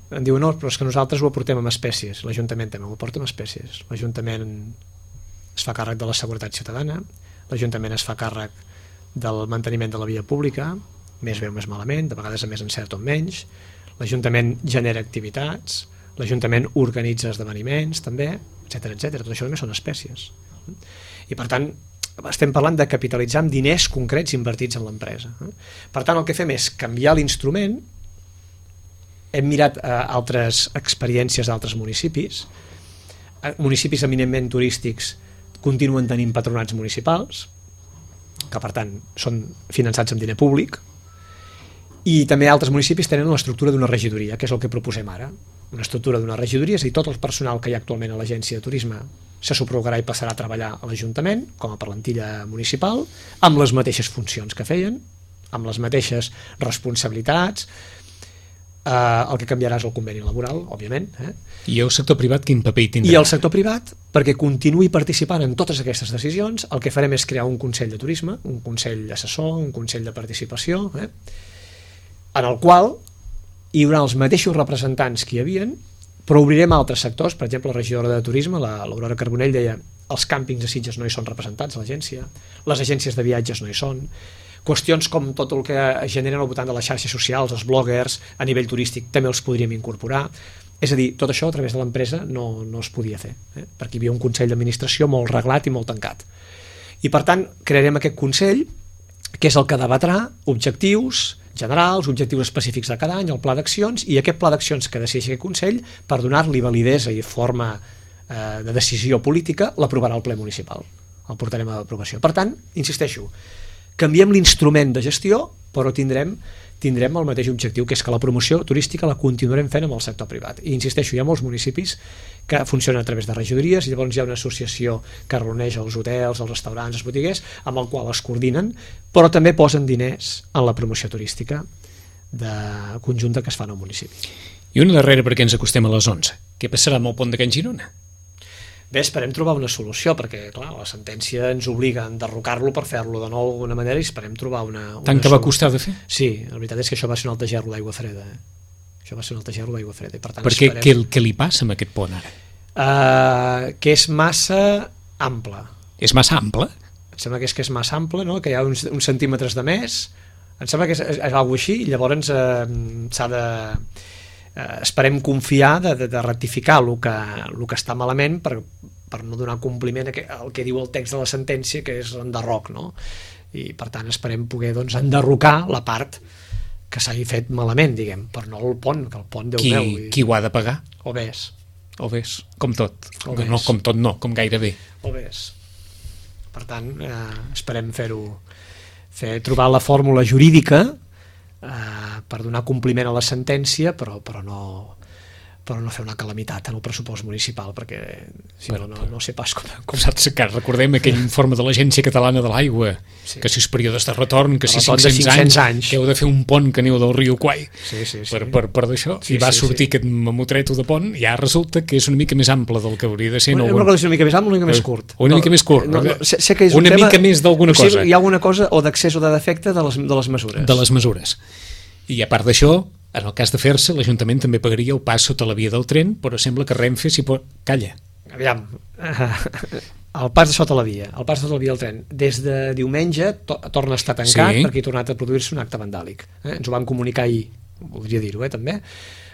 Speaker 3: Em diuen, no, però és que nosaltres ho aportem amb espècies. L'Ajuntament també ho aporta amb espècies. L'Ajuntament es fa càrrec de la seguretat ciutadana, l'Ajuntament es fa càrrec del manteniment de la via pública, més bé o més malament, de vegades a més encert o menys, l'Ajuntament genera activitats, l'Ajuntament organitza esdeveniments també, etc. Tot això només són espècies. I per tant, estem parlant de capitalitzar amb diners concrets invertits en l'empresa. Per tant, el que fem és canviar l'instrument hem mirat altres experiències d'altres municipis. Municipis eminentment turístics continuen tenint patronats municipals, que per tant són finançats amb diner públic, i també altres municipis tenen l'estructura d'una regidoria, que és el que proposem ara. Una estructura d'una regidoria, és a dir, tot el personal que hi ha actualment a l'agència de turisme se subrogarà i passarà a treballar a l'Ajuntament com a plantilla municipal, amb les mateixes funcions que feien, amb les mateixes responsabilitats. El que canviarà és el conveni laboral, òbviament.
Speaker 2: I el sector privat quin paper hi tindrà?
Speaker 3: I el sector privat, perquè continuï participant en totes aquestes decisions, el que farem és crear un Consell de Turisme, un Consell assessor, un Consell de Participació, en el qual hi haurà els mateixos representants que hi havien, però obrirem altres sectors. Per exemple, la regidora de Turisme, l'Aurora Carbonell, deia els càmpings de Sitges no hi són representats a l'agència, les agències de viatges no hi són, qüestions com tot el que generen al voltant de les xarxes socials, els bloggers, a nivell turístic també els podríem incorporar. És a dir, tot això a través de l'empresa no es podia fer, perquè hi havia un Consell d'Administració molt reglat i molt tancat. I per tant, crearem aquest Consell, que és el que debatrà objectius generals, objectius específics de cada any, el pla d'accions, i aquest pla d'accions que decideixi aquest Consell, per donar-li validesa i forma de decisió política, l'aprovarà el ple municipal. El portarem a l'aprovació. Per tant, insisteixo, canviem l'instrument de gestió, però tindrem el mateix objectiu, que és que la promoció turística la continuarem fent amb el sector privat. I insisteixo, hi ha molts municipis que funcionen a través de regidories, i llavors hi ha una associació que reuneix els hotels, els restaurants, els botiguers, amb el qual es coordinen, però també posen diners en la promoció turística conjunta que es fa en el municipi.
Speaker 2: I una darrera perquè ens acostem a les 11. Què passarà amb el pont de Can Girona?
Speaker 3: Bé, esperem trobar una solució, perquè clar, la sentència ens obliga a enderrocar-lo per fer-lo de nou d'alguna manera, i esperem trobar una
Speaker 2: Tant que va costar de fer?
Speaker 3: Sí, la veritat és que això va ser un altre gerro d'aigua freda. Això va ser un altre gerro d'aigua freda. I per tant,
Speaker 2: perquè què li passa amb aquest pont ara?
Speaker 3: Que és massa ample.
Speaker 2: És massa ample?
Speaker 3: Em sembla que és massa ample, no? Que hi ha uns centímetres de més. Em sembla que és alguna així, i llavors s'ha de... esperem confiar de rectificar el que està malament per no donar compliment al que diu el text de la sentència, que és l'enderroc, no? I per tant esperem poder enderrocar la part que s'hagi fet malament, diguem, però no el pont, que el pont, Déu meu.
Speaker 2: Qui ho ha de pagar?
Speaker 3: O ves,
Speaker 2: com tot. No, com tot no, com gairebé.
Speaker 3: O ves. Per tant, esperem trobar la fórmula jurídica per donar compliment a la sentència, però no fer una calamitat en el pressupost municipal, perquè si no sé pas com...
Speaker 2: Saps que recordem aquell informe de l'Agència Catalana de l'Aigua, que si els períodes de retorn, que si 500 anys, que heu de fer un pont que aneu del riu Quai per d'això, i va sortir aquest mamotreto de pont, ja resulta que és una mica més ample del que hauria de ser.
Speaker 3: No és una mica més ample, una mica més curt.
Speaker 2: Una mica més curt.
Speaker 3: Sé que és
Speaker 2: una mica més d'alguna cosa.
Speaker 3: Hi ha alguna cosa o d'accés o de defecte de les mesures.
Speaker 2: De les mesures. I a part d'això, en el cas de fer-se, l'Ajuntament també pagaria el pas sota la via del tren, però sembla que Renfe s'hi pot... Calla.
Speaker 3: Aviam, el pas de sota la via del tren, des de diumenge torna a estar tancat, perquè ha tornat a produir-se un acte vandàlic. Ens ho van comunicar ahir, voldria dir-ho, també.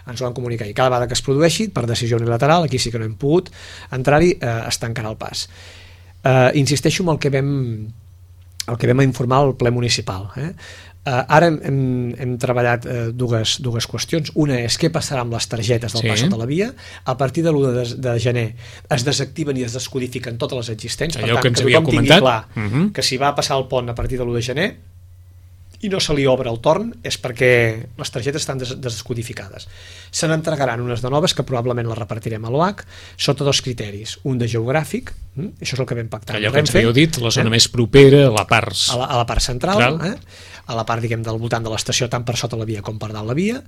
Speaker 3: Ens ho van comunicar ahir. Cada vegada que es produeixi, per decisió unilateral, aquí sí que no hem pogut entrar-hi, es tancarà el pas. Insisteixo en el que vam informar al ple municipal. Ara hem treballat dues qüestions. Una és què passarà amb les targetes del pas sota la via. A partir de l'1 de gener es desactiven i es descodifiquen totes les existents.
Speaker 2: Allò
Speaker 3: per tant,
Speaker 2: que tothom tingui
Speaker 3: clar que si va passar el pont a partir de l'1 de gener i no se li obre el torn, és perquè les targetes estan descodificades. Se n'entregaran unes de noves que probablement les repartirem a l'OAC sota dos criteris. Un de geogràfic, això és el que vam pactar
Speaker 2: allò que ens havíeu dit, la zona més propera a la
Speaker 3: part central, a la part, diguem, del voltant de l'estació, tant per sota la via com per dalt la via,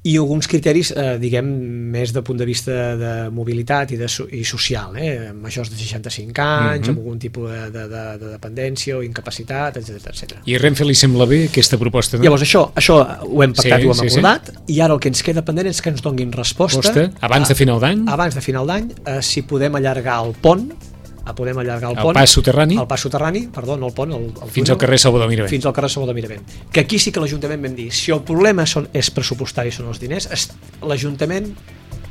Speaker 3: i alguns criteris, diguem, més de punt de vista de mobilitat i social, majors de 65 anys, amb algun tipus de dependència o incapacitat, etc.
Speaker 2: I a Renfe li sembla bé aquesta proposta? No?
Speaker 3: Llavors això ho hem pactat, ho hem acordat, i ara el que ens queda pendent és que ens donguin resposta
Speaker 2: abans de final d'any?
Speaker 3: Abans de final d'any, si podem allargar el pont,
Speaker 2: el pas soterrani,
Speaker 3: no el pont,
Speaker 2: fins al carrer Salvador Miravent.
Speaker 3: Fins al carrer Salvador Miravent. Que aquí sí que l'Ajuntament vam dir, si el problema és pressupostari, són els diners, l'Ajuntament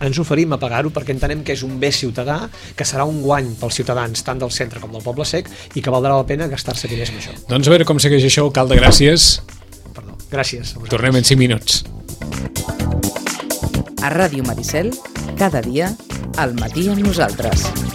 Speaker 3: ens oferim a pagar-ho perquè entenem que és un bé ciutadà, que serà un guany pels ciutadans tant del centre com del Poble Sec i que valdrà la pena gastar-se diners en això.
Speaker 2: Doncs a veure com segueix això, alcalde, gràcies.
Speaker 3: Gràcies.
Speaker 2: Tornem en 5 minuts.
Speaker 1: A Ràdio Maricel, cada dia, al matí amb nosaltres.